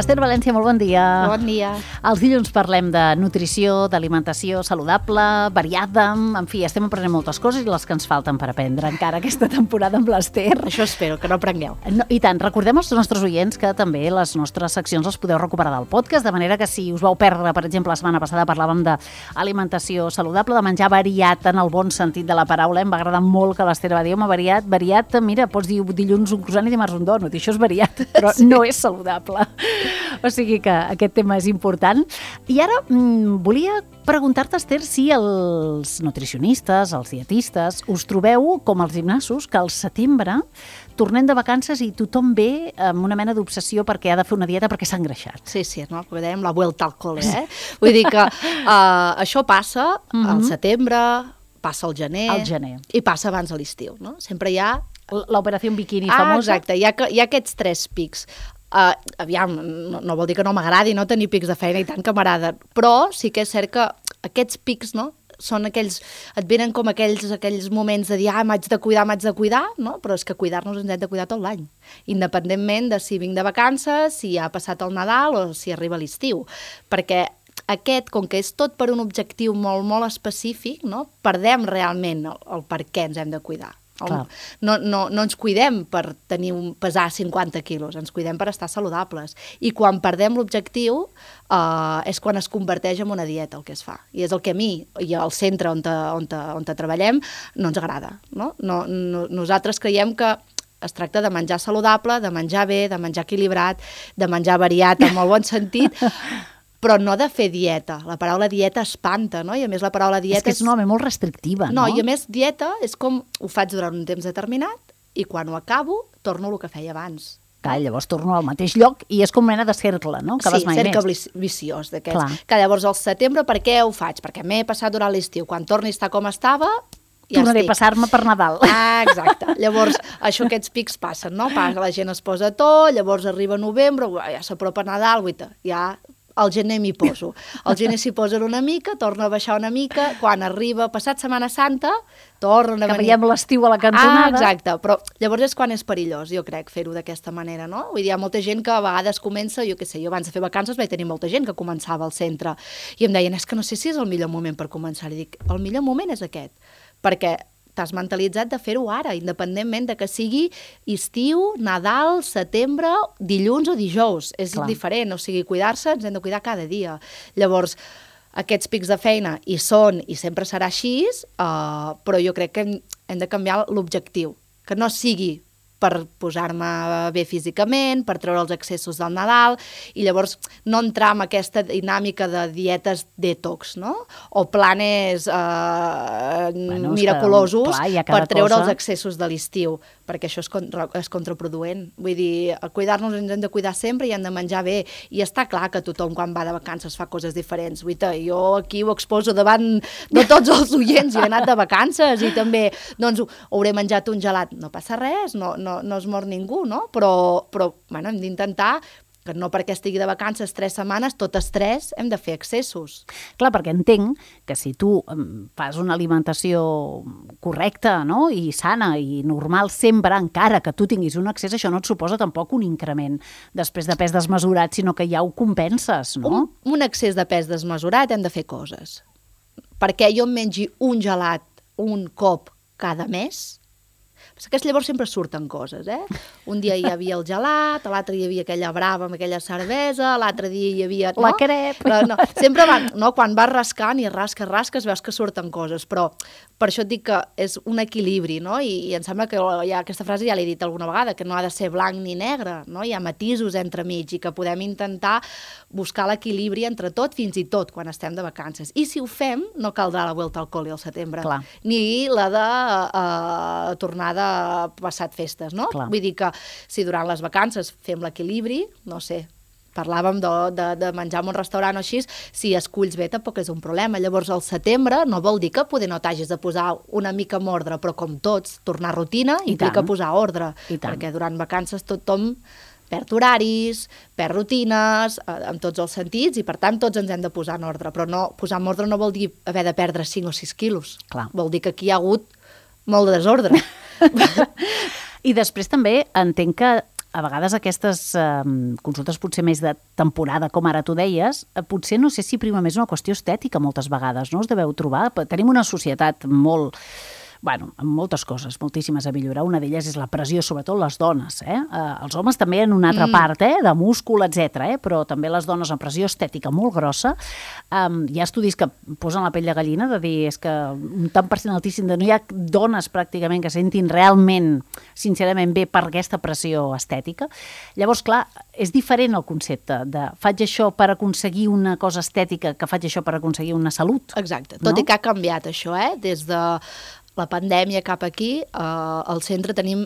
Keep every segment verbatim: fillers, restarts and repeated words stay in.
Esther València, molt bon dia. Bon dia. Els dilluns parlem de nutrició, d'alimentació saludable, variada, en fi, estem aprenent moltes coses i les que ens falten per aprendre encara aquesta temporada amb l'Esther. Això espero, que no aprengueu. No, I tant, recordem als nostres oients que també les nostres seccions les podeu recuperar del podcast, de manera que si us vau perdre, per exemple, la setmana passada parlàvem d'alimentació saludable, de menjar variat en el bon sentit de la paraula. Em va agradar molt que l'Esther va dir, home, variat, variat, mira, pots dir dilluns un croissant i dimarts un donut, i això és variat, però sí. No és saludable. O sigui que aquest tema és important. I ara mmm, volia preguntar-te, Esther, si els nutricionistes, els dietistes, us trobeu com els gimnasos, que al setembre tornem de vacances i tothom ve amb una mena d'obsessió perquè ha de fer una dieta perquè s'ha engreixat. Sí, sí, no? Com dèiem, la vuelta al cole, eh? Vull dir que uh, això passa mm-hmm. al setembre, passa al gener, al gener i passa abans de l'estiu, no? Sempre hi ha... L'operació bikini ah, famosa. Exacte, hi ha, hi ha aquests tres pics. Uh, aviam, no, no vol dir que no m'agradi no tenir pics de feina i tant que m'agrada, però sí que és cert que aquests pics, no?, són aquells, et venen com aquells, aquells moments de dir, ah, m'haig de cuidar, m'haig de cuidar, no? Però és que cuidar-nos ens hem de cuidar tot l'any, independentment de si vinc de vacances, si ha passat el Nadal o si arriba l'estiu, perquè aquest, com que és tot per un objectiu molt, molt específic, no?, perdem realment el, el per què ens hem de cuidar. No, no, no ens cuidem per tenir un, pesar cinquanta quilos, ens cuidem per estar saludables. I quan perdem l'objectiu eh, és quan es converteix en una dieta el que es fa. I és el que a mi, i al centre on, te, on, te, on te treballem, no ens agrada. No? No, no, nosaltres creiem que es tracta de menjar saludable, de menjar bé, de menjar equilibrat, de menjar variat en molt bon sentit, però no de fer dieta. La paraula dieta espanta, no? I a més la paraula dieta... És que és una home molt restrictiva, no? No, i a més dieta és com ho faig durant un temps determinat i quan ho acabo torno el que feia abans. Clar, llavors torno al mateix lloc i és com mena de cercle, no? Que sí, vas mai cercle més. viciós d'aquests. Que llavors al setembre per què ho faig? Perquè m'he passat durant l'estiu. Quan torni a estar com estava... Ja tornaré a passar-me per Nadal. Ah, exacte. Llavors, això, aquests pics passen, no? La gent es posa tot, llavors arriba novembre, ja s'apropa Nadal, guaita, ja... al gener m'hi poso. Al gener s'hi posen una mica, torna a baixar una mica, quan arriba, passat Setmana Santa, torna a venir... Que veiem l'estiu a la cantonada. Ah, exacte, però llavors és quan és perillós, jo crec, fer-ho d'aquesta manera, no? Vull dir, hi ha molta gent que a vegades comença, jo què sé, jo abans de fer vacances vaig tenir molta gent que començava al centre, i em deien, és que no sé si és el millor moment per començar. I dic, el millor moment és aquest, perquè t'has mentalitzat de fer-ho ara, independentment de que sigui estiu, Nadal, setembre, dilluns o dijous. És Clar. diferent, o sigui, cuidar-se ens hem de cuidar cada dia. Llavors, aquests pics de feina hi són i sempre serà així, uh, però jo crec que hem, hem de canviar l'objectiu, que no sigui per posar-me bé físicament, per treure els excessos del Nadal, i llavors no entrar en aquesta dinàmica de dietes detox, no? O planes eh, bueno, miraculosos que, clar, per treure cosa... els excessos de l'estiu, perquè això és, contra, és contraproduent. Vull dir, cuidar-nos ens hem de cuidar sempre i hem de menjar bé, i està clar que tothom quan va de vacances fa coses diferents. Vull dir, jo aquí ho exposo davant de tots els oients, jo he anat de vacances i també, doncs, hauré menjat un gelat. No passa res, no, no no es mor ningú, no? Però, però bueno, hem d'intentar que no perquè estigui de vacances tres setmanes, tot estrès, hem de fer excessos. Clar, perquè entenc que si tu fas una alimentació correcta, no?, i sana i normal sempre, encara que tu tinguis un excés, això no et suposa tampoc un increment després de pes desmesurat, sinó que ja ho compenses, no? Un, un excés de pes desmesurat hem de fer coses. Perquè jo em mengi un gelat un cop cada mes, que llavors sempre surten coses, eh? Un dia hi havia el gelat, l'altre hi havia aquella brava amb aquella cervesa, l'altre dia hi havia... No? La crep... Però no, sempre van, no? Quan vas rascant i rasques, rasques, veus que surten coses, però per això et dic que és un equilibri, no? I, i em sembla que ja, aquesta frase ja l'he dit alguna vegada, que no ha de ser blanc ni negre, no? Hi ha matisos entremig i que podem intentar buscar l'equilibri entre tot, fins i tot quan estem de vacances. I si ho fem, no caldrà la vuelta al col·le al setembre, Clar. ni la de uh, tornada passat festes, no? Clar. Vull dir que si durant les vacances fem l'equilibri, no sé, parlàvem de, de, de menjar en un restaurant o així, si esculls bé tampoc és un problema. Llavors, al setembre no vol dir que poder no t'hagis de posar una mica en ordre, però com tots, tornar a rutina I implica tant. posar ordre, I tant. perquè durant vacances tothom perd horaris, perd rutines, eh, en tots els sentits, i per tant tots ens hem de posar en ordre, però no, posar en ordre no vol dir haver de perdre cinc o sis quilos. Clar. Vol dir que aquí hi ha hagut molt de desordre. I després també entenc que a vegades aquestes eh, consultes potser més de temporada, com ara tu deies, eh, potser no sé si prima més una qüestió estètica moltes vegades, no us deveu trobar? Tenim una societat molt... Bueno, amb moltes coses, moltíssimes a millorar. Una d'elles és la pressió, sobretot les dones. Eh? Eh, els homes també en una altra mm. part, eh? De múscul, etcètera. Eh? Però també les dones amb pressió estètica molt grossa. Um, hi ha estudis que posen la pell de gallina de dir és que un tant per cent altíssim de no hi ha dones pràcticament que sentin realment, sincerament bé per aquesta pressió estètica. Llavors, clar, és diferent el concepte de faig això per aconseguir una cosa estètica que faig això per aconseguir una salut. Exacte. Tot no? I que ha canviat això, eh? Des de la pandèmia cap aquí, eh, al centre tenim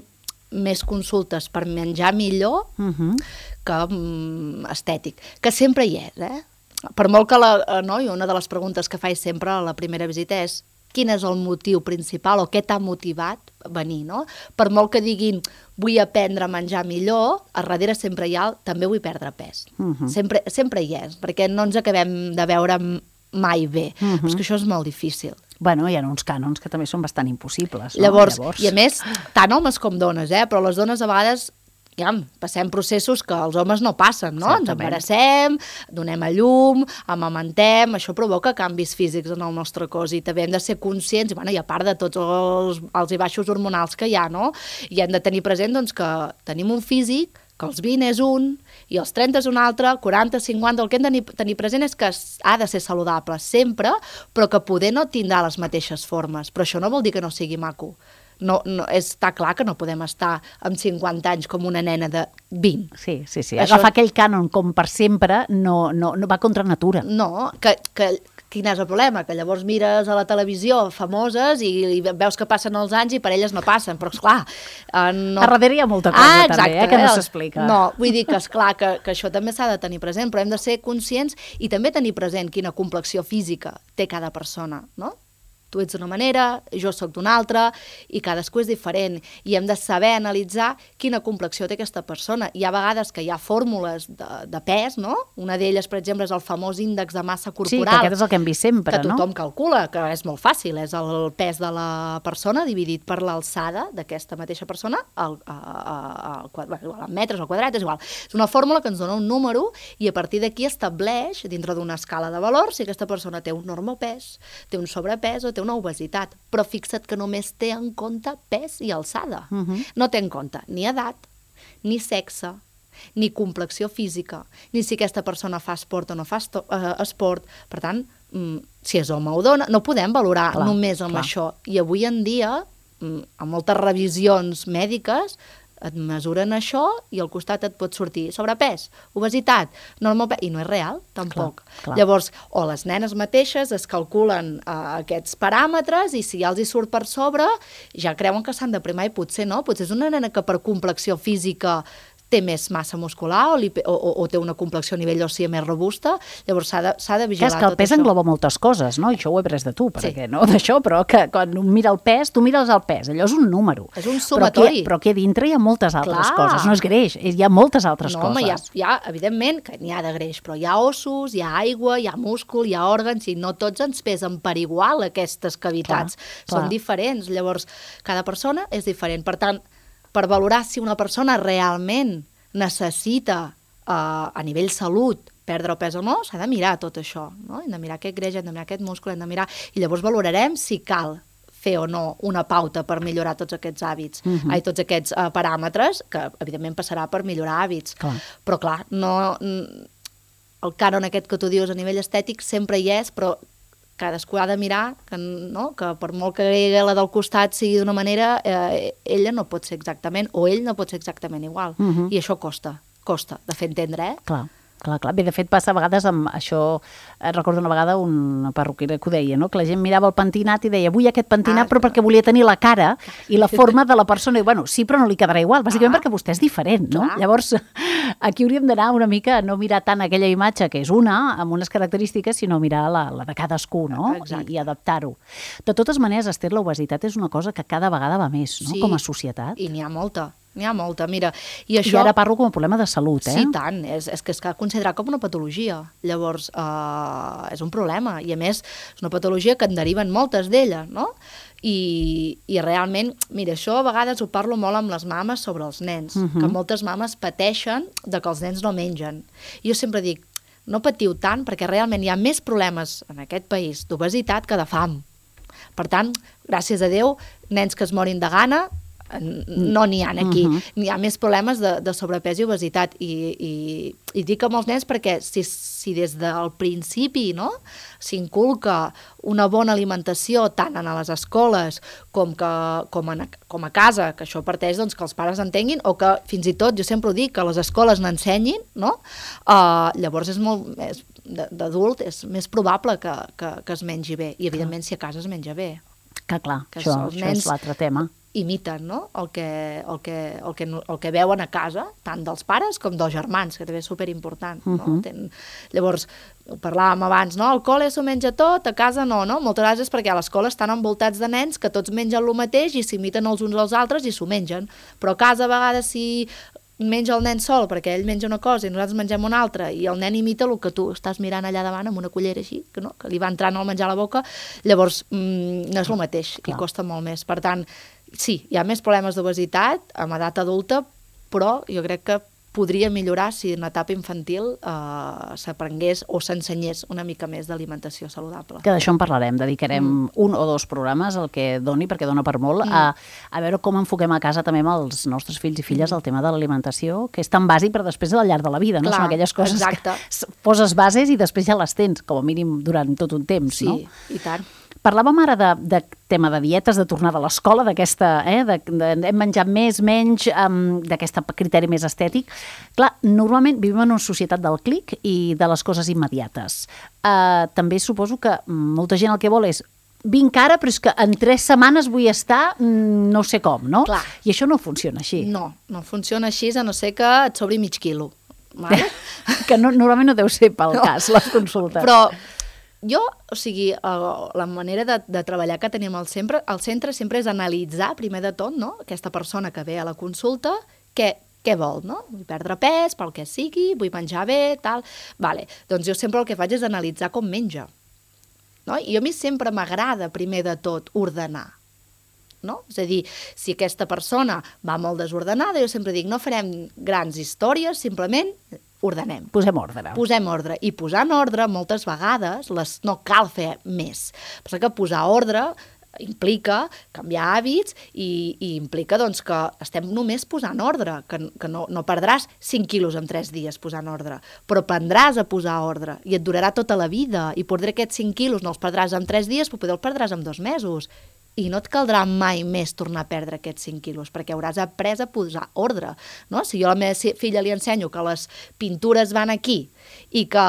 més consultes per menjar millor uh-huh. que um, estètic, que sempre hi és, eh? Per molt que la, eh, no? I una de les preguntes que faig sempre a la primera visita és quin és el motiu principal o què t'ha motivat a venir, no? Per molt que diguin vull aprendre a menjar millor, a darrere sempre hi ha el també vull perdre pes. Uh-huh. Sempre, sempre hi és, perquè no ens acabem de veure mai bé, uh-huh. però és que això és molt difícil. Bueno, hi ha uns cànons que també són bastant impossibles. No? Llavors, Llavors, i a més, tant homes com dones, eh? Però les dones a vegades ja, passem processos que els homes no passen, no? Exactament. Ens embarassem, donem a llum, amamentem, això provoca canvis físics en el nostre cos i també hem de ser conscients, i, bueno, i a part de tots els alts i baixos hormonals que hi ha, no? I hem de tenir present doncs, que tenim un físic que els vint és un, i els trenta és un altre, quaranta, cinquanta, el que hem de tenir present és que ha de ser saludable sempre, però que poder no tindrà les mateixes formes. Però això no vol dir que no sigui maco. No, no, està clar que no podem estar amb cinquanta anys com una nena de vint. Sí, sí, sí. Això... Agafar aquell cànon com per sempre no, no, no va contra natura. No, que... que quin és el problema? Que llavors mires a la televisió famoses i, i veus que passen els anys i per elles no passen, però esclar... Eh, no... A darrere hi ha molta cosa ah, també, eh, que no s'explica. No, vull dir que esclar que, que això també s'ha de tenir present, però hem de ser conscients i també tenir present quina complexió física té cada persona, no? Tu ets d'una manera, jo sóc d'una altra, i cadascú és diferent. I hem de saber analitzar quina complexió té aquesta persona. Hi ha vegades que hi ha fórmules de, de pes, no? Una d'elles, per exemple, és el famós índex de massa corporal. Sí, que aquest és el que hem vist sempre, que no? tothom calcula, que és molt fàcil. És el pes de la persona dividit per l'alçada d'aquesta mateixa persona, al, a, a, a, a metres al quadrat, és igual. És una fórmula que ens dona un número i a partir d'aquí estableix, dintre d'una escala de valors, si aquesta persona té un normopès, té un sobrepès o té una obesitat, però fixa't que només té en compte pes i alçada. Uh-huh. No té en compte ni edat, ni sexe, ni complexió física, ni si aquesta persona fa esport o no fa esto, uh, esport. Per tant, mm, si és home o dona, no podem valorar clar, només amb clar. Això. I avui en dia, mm, amb moltes revisions mèdiques, et mesuren això i al costat et pot sortir sobrepès, obesitat, normopès, i no és real, tampoc. Clar, clar. Llavors, o les nenes mateixes es calculen uh, aquests paràmetres i si ja els hi surt per sobre, ja creuen que s'han de primar i potser no, potser és una nena que per complexió física té més massa muscular o, li, o, o, o té una complexió a nivell òssia més robusta, llavors s'ha de, s'ha de vigilar tot això. Que és que el pes engloba moltes coses, no? I això ho he pres de tu, perquè sí. No d'això, però que quan un mira el pes, tu mires el pes, allò és un número. És un sumatori. Però aquí a dintre hi ha moltes altres clar. Coses, no és greix, hi ha moltes altres no, coses. No, home, hi ha, hi ha, evidentment, que n'hi ha de greix, però hi ha ossos, hi ha aigua, hi ha múscul, hi ha òrgans, i no tots ens pesen per igual aquestes cavitats. Clar, Són clar. Diferents, llavors cada persona és diferent. Per tant, per valorar si una persona realment necessita uh, a nivell salut perdre el pes o no, s'ha de mirar tot això, no? Hem de mirar aquest greix, hem de mirar aquest múscul, hem de mirar... I llavors valorarem si cal fer o no una pauta per millorar tots aquests hàbits, uh-huh. ai, tots aquests uh, paràmetres, que evidentment passarà per millorar hàbits. Clar. Però clar, no, el cànon aquest que tu dius a nivell estètic sempre hi és, però cadascú ha de mirar que, no? Que per molt que la del costat sigui d'una manera, eh, ella no pot ser exactament, o ell no pot ser exactament igual. Uh-huh. I això costa, costa de fer entendre, eh? Clar. Clar, clar. Bé, de fet, passa a vegades amb això... Recordo una vegada una perruquera que ho deia, no? Que la gent mirava el pentinat i deia vull aquest pentinat, ah, però perquè volia tenir la cara i la forma de la persona. I, bueno, sí, però no li quedarà igual, bàsicament ah. perquè vostè és diferent, no? Clar. Llavors, aquí hauríem d'anar una mica a no mirar tant aquella imatge, que és una, amb unes característiques, sinó mirar la, la de cadascú, no? I, i adaptar-ho. De totes maneres, Esther, l'obesitat és una cosa que cada vegada va més, no? Sí. Com a societat. I n'hi ha molta. n'hi ha molta, mira. I, això... I ara parlo com a problema de salut, eh? Sí, tant, és, és que es cal considerar com una patologia. Llavors, eh, és un problema, i a més, és una patologia que en deriven moltes d'elles, no? I, i realment, mira, això a vegades ho parlo molt amb les mames sobre els nens, uh -huh. que moltes mames pateixen de que els nens no mengen. I jo sempre dic, no patiu tant, perquè realment hi ha més problemes en aquest país d'obesitat que de fam. Per tant, gràcies a Déu, nens que es morin de gana, no n'hi ha aquí. Uh -huh. N'hi ha més problemes de, de sobrepès i obesitat. I, i, i dic amb els nens perquè si, si des del principi, no, s'inculca una bona alimentació tant en les escoles com, que, com, en, com a casa, que això parteix doncs, que els pares entenguin, o que fins i tot, jo sempre ho dic, que les escoles n'ensenyin, no? Uh, llavors és molt més, d'adult és més probable que, que, que es mengi bé. I evidentment si a casa es menja bé. Que clar, que això, això és l'altre tema. Imiten, no? el, que, el, que, el, que, el que veuen a casa, tant dels pares com dels germans, que també és superimportant. No? Uh -huh. Ten... Llavors, ho parlàvem abans, no? Al col·le s'ho menja tot, a casa no, no? Moltes vegades és perquè a l'escola estan envoltats de nens que tots mengen el mateix i s'imiten els uns als altres i s'ho mengen. Però a casa a vegades si menja el nen sol perquè ell menja una cosa i nosaltres mengem una altra i el nen imita el que tu estàs mirant allà davant amb una cullera així, que, no? que li va entrant el menjar a la boca, llavors mmm, no és el mateix. Clar. I costa molt més. Per tant, sí, hi ha més problemes d'obesitat amb edat adulta, però jo crec que podria millorar si en etapa infantil eh, s'aprengués o s'ensenyés una mica més d'alimentació saludable. Que d'això en parlarem, dedicarem mm. un o dos programes, el que doni, perquè dona per molt, mm. a, a veure com enfoquem a casa també amb els nostres fills i filles el tema de l'alimentació, que és tan bàsic però després al llarg de la vida, no? Clar, són aquelles coses exacte. que poses bases i després ja les tens, com a mínim durant tot un temps, sí, no? Sí, i tant. Parlàvem ara de, de tema de dietes, de tornada a l'escola, d'aquesta, eh, de, de, hem menjat més, menys, um, d'aquest criteri més estètic. Clar, normalment vivim en una societat del clic i de les coses immediates. Uh, també suposo que molta gent el que vol és vinc ara, però és que en tres setmanes vull estar no sé com, no? Clar. I això no funciona així. No, no funciona així, a no ser que et sobri mig quilo. Vale? Que no, normalment no deu ser pel no. cas, les consultes. Però jo, o sigui, la manera de, de treballar que tenim al centre, al centre sempre és analitzar, primer de tot, no? Aquesta persona que ve a la consulta, què, què vol, no? Vull perdre pes, pel que sigui, vull menjar bé, tal... Vale. Doncs jo sempre el que faig és analitzar com menja. No? I a mi sempre m'agrada, primer de tot, ordenar. No? És a dir, si aquesta persona va molt desordenada, jo sempre dic, no farem grans històries, simplement ordenem. Posem ordre. Posem ordre. I posant ordre, moltes vegades, les, no cal fer més. Perquè que posar ordre implica canviar hàbits i, i implica doncs, que estem només posant ordre, que, que no, no perdràs cinc quilos en tres dies posant ordre, però aprendràs a posar ordre i et durarà tota la vida i potser aquests cinc quilos no els perdràs en tres dies, però potser els perdràs en dos mesos. I no et caldrà mai més tornar a perdre aquests cinc quilos, perquè hauràs après a posar ordre. No? Si jo a la meva filla li ensenyo que les pintures van aquí i que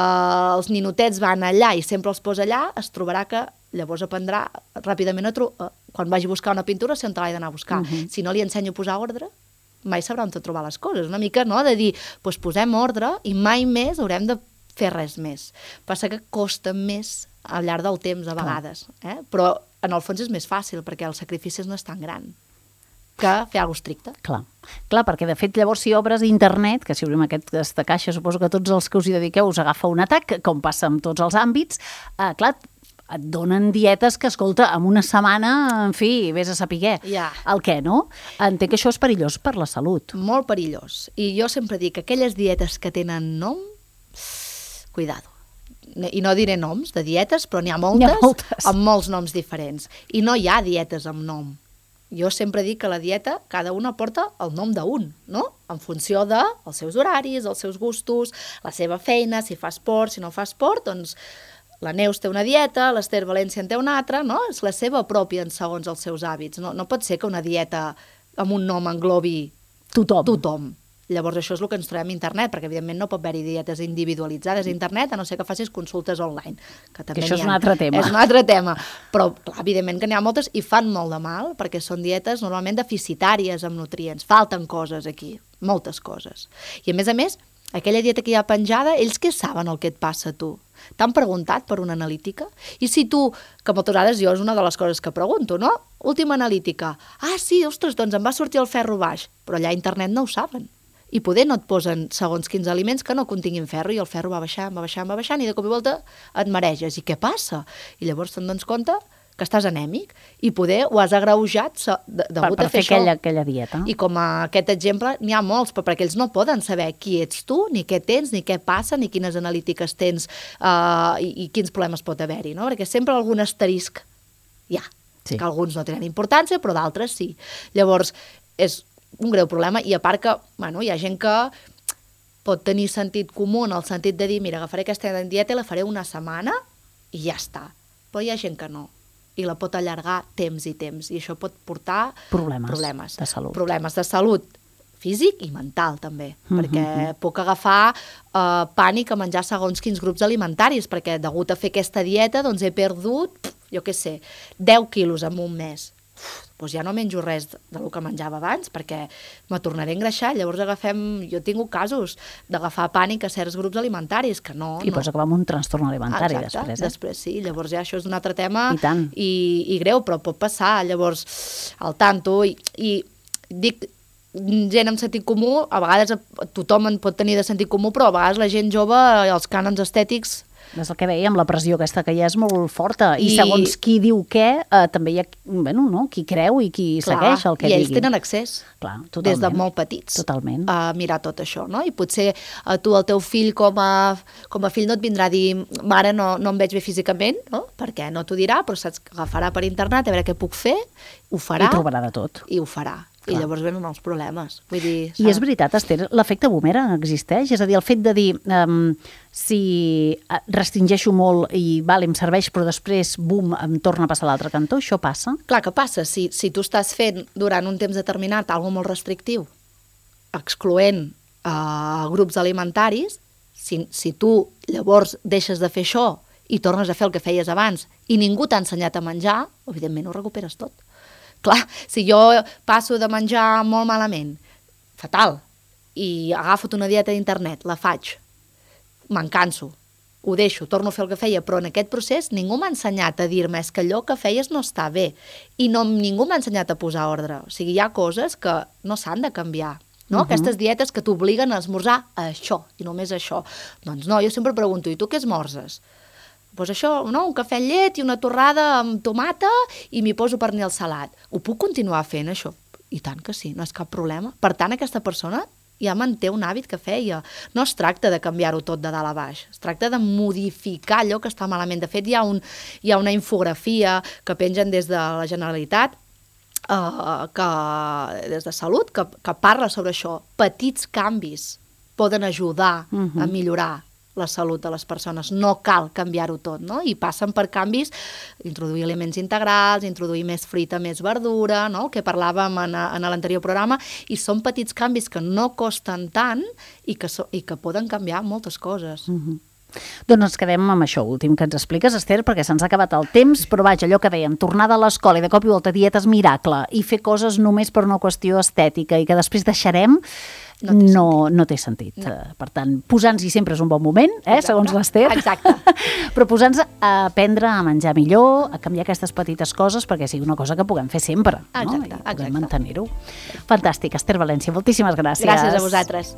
els ninotets van allà i sempre els posa allà, es trobarà que llavors aprendrà ràpidament a trobar, quan vagi a buscar una pintura, si on te l'he d'anar a buscar. Uh -huh. Si no li ensenyo a posar ordre, mai sabrà on trobar les coses. Una mica, no?, de dir, doncs posem ordre i mai més haurem de fer res més. Passa que costa més al llarg del temps, a vegades. Eh? Però en el fons és més fàcil, perquè el sacrifici no és tan gran que fer alguna cosa estricte. Clar. Clar, perquè de fet llavors si obres internet, que si obrim aquesta caixa, suposo que tots els que us hi dediqueu us agafa un atac, com passa en tots els àmbits, eh, clar, et donen dietes que, escolta, en una setmana, en fi, vés a saber ja. el què, no? Entenc que això és perillós per la salut. Molt perillós. I jo sempre dic que aquelles dietes que tenen nom, cuidado. I no diré noms de dietes, però n'hi ha moltes, ha moltes amb molts noms diferents. I no hi ha dietes amb nom. Jo sempre dic que la dieta, cada una porta el nom d'un, no? En funció dels seus horaris, els seus gustos, la seva feina, si fa esport, si no fa esport, doncs la Neus té una dieta, l'Ester València en té una altra, no? És la seva pròpia en segons els seus hàbits. No, no pot ser que una dieta amb un nom englobi tothom. tothom. Llavors això és el que ens trobem a internet, perquè evidentment no pot haver-hi dietes individualitzades a internet, a no ser que facis consultes online. Que, també que això és ha. un altre tema. És un altre tema. Però clar, evidentment que n'hi ha moltes i fan molt de mal, perquè són dietes normalment deficitàries amb nutrients. Falten coses aquí, moltes coses. I a més a més, aquella dieta que hi ha penjada, ells què saben el que et passa a tu? T'han preguntat per una analítica? I si tu, que moltes vegades jo és una de les coses que pregunto, no? última analítica. Ah, sí, ostres, doncs em va sortir el ferro baix. Però allà a internet no ho saben. I poder no et posen segons quins aliments que no continguin ferro, i el ferro va baixant, va baixant, va baixant, i de cop i volta et mareges. I què passa? I llavors te'n dones compte que estàs anèmic, i poder ho has agreujat de, degut per, per a fer, fer aquella, aquella dieta. I com a aquest exemple n'hi ha molts, però perquè ells no poden saber qui ets tu, ni què tens, ni què passa, ni quines analítiques tens uh, i, i quins problemes pot haver-hi, no? Perquè sempre algun asterisc hi ha. Sí. Que alguns no tenen importància, però d'altres sí. Llavors, és un greu problema, i a part que, bueno, hi ha gent que pot tenir sentit comú en el sentit de dir, mira, agafaré aquesta dieta i la faré una setmana i ja està. Però hi ha gent que no, i la pot allargar temps i temps, i això pot portar problemes, problemes de salut. Problemes de salut físic i mental, també, mm-hmm. perquè puc agafar uh, pànic a menjar segons quins grups alimentaris, perquè degut a fer aquesta dieta, doncs he perdut, jo què sé, deu quilos en un mes. Uf, doncs ja no menjo res del que menjava abans, perquè me tornaré a engreixar. Llavors agafem, jo he tingut casos d'agafar pànic a certs grups alimentaris, que no... I no. Pots acabar amb un trastorn alimentari. Exacte, després. Eh? Després sí, llavors ja això és un altre tema I, tant. i, i greu, però pot passar. Llavors, al tanto, i, i dic... gent amb sentit comú, a vegades tothom en pot tenir de sentit comú, però a vegades la gent jove, els cànons estètics... És el que dèiem, la pressió aquesta que ja és molt forta, i, I segons qui diu què, eh, també hi ha bueno, no? qui creu i qui clar, segueix el que digui. I ells digui. tenen accés, clar, des de molt petits, totalment. A mirar tot això, no? I potser a tu, el teu fill, com a, com a fill no et vindrà a dir, mare, no, no em veig bé físicament, no? Perquè no t'ho dirà, però saps que agafarà per internet, a veure què puc fer, ho farà. I trobarà de tot. I ho farà. I clar. Llavors venen els problemes. Vull dir, I és veritat, Esther, l'efecte boomerang existeix? És a dir, el fet de dir, um, si restringeixo molt i vale, em serveix, però després, bum, em torna a passar a l'altre cantó, això passa? Clar que passa. Si, si tu estàs fent durant un temps determinat alguna molt restrictiu, excloent uh, grups alimentaris, si, si tu llavors deixes de fer això i tornes a fer el que feies abans i ningú t'ha ensenyat a menjar, evidentment ho recuperes tot. Clar, si jo passo de menjar molt malament, fatal, i agafo una dieta d'internet, la faig, me'n canso, ho deixo, torno a fer el que feia, però en aquest procés ningú m'ha ensenyat a dir-me és que allò que feies no està bé, i no, ningú m'ha ensenyat a posar ordre. O sigui, hi ha coses que no s'han de canviar. No? Uh-huh. Aquestes dietes que t'obliguen a esmorzar això, i només això. Doncs no, jo sempre pregunto, i tu què esmorzes? Doncs això, no? Un cafè amb llet i una torrada amb tomata i m'hi poso pernil salat. Ho puc continuar fent, això? I tant que sí, no és cap problema. Per tant, aquesta persona ja manté un hàbit que feia. No es tracta de canviar-ho tot de dalt a baix, es tracta de modificar allò que està malament. De fet, hi ha, un, hi ha una infografia que pengen des de la Generalitat, uh, que, des de Salut, que, que parla sobre això. Petits canvis poden ajudar uh-huh. a millorar la salut de les persones, no cal canviar-ho tot, no? I passen per canvis, introduir aliments integrals, introduir més fruita, més verdura, no? El que parlàvem en, en l'anterior programa, i són petits canvis que no costen tant i que, so, i que poden canviar moltes coses. Mm-hmm. Doncs ens quedem amb això últim que ens expliques, Esther, perquè se'ns ha acabat el temps, però vaja, allò que dèiem, tornada a l'escola i de cop i volta dietes miracle i fer coses només per una qüestió estètica i que després deixarem, no té no, sentit. No té sentit. No. Per tant, posar-nos-hi sempre és un bon moment, eh, Exacte. Segons l'Esther. Exacte. Però posar-nos a aprendre a menjar millor, a canviar aquestes petites coses perquè sigui una cosa que puguem fer sempre. Exacte. No? I puguem Exacte. mantenir-ho. Fantàstic, Esther València, moltíssimes gràcies. Gràcies a vosaltres.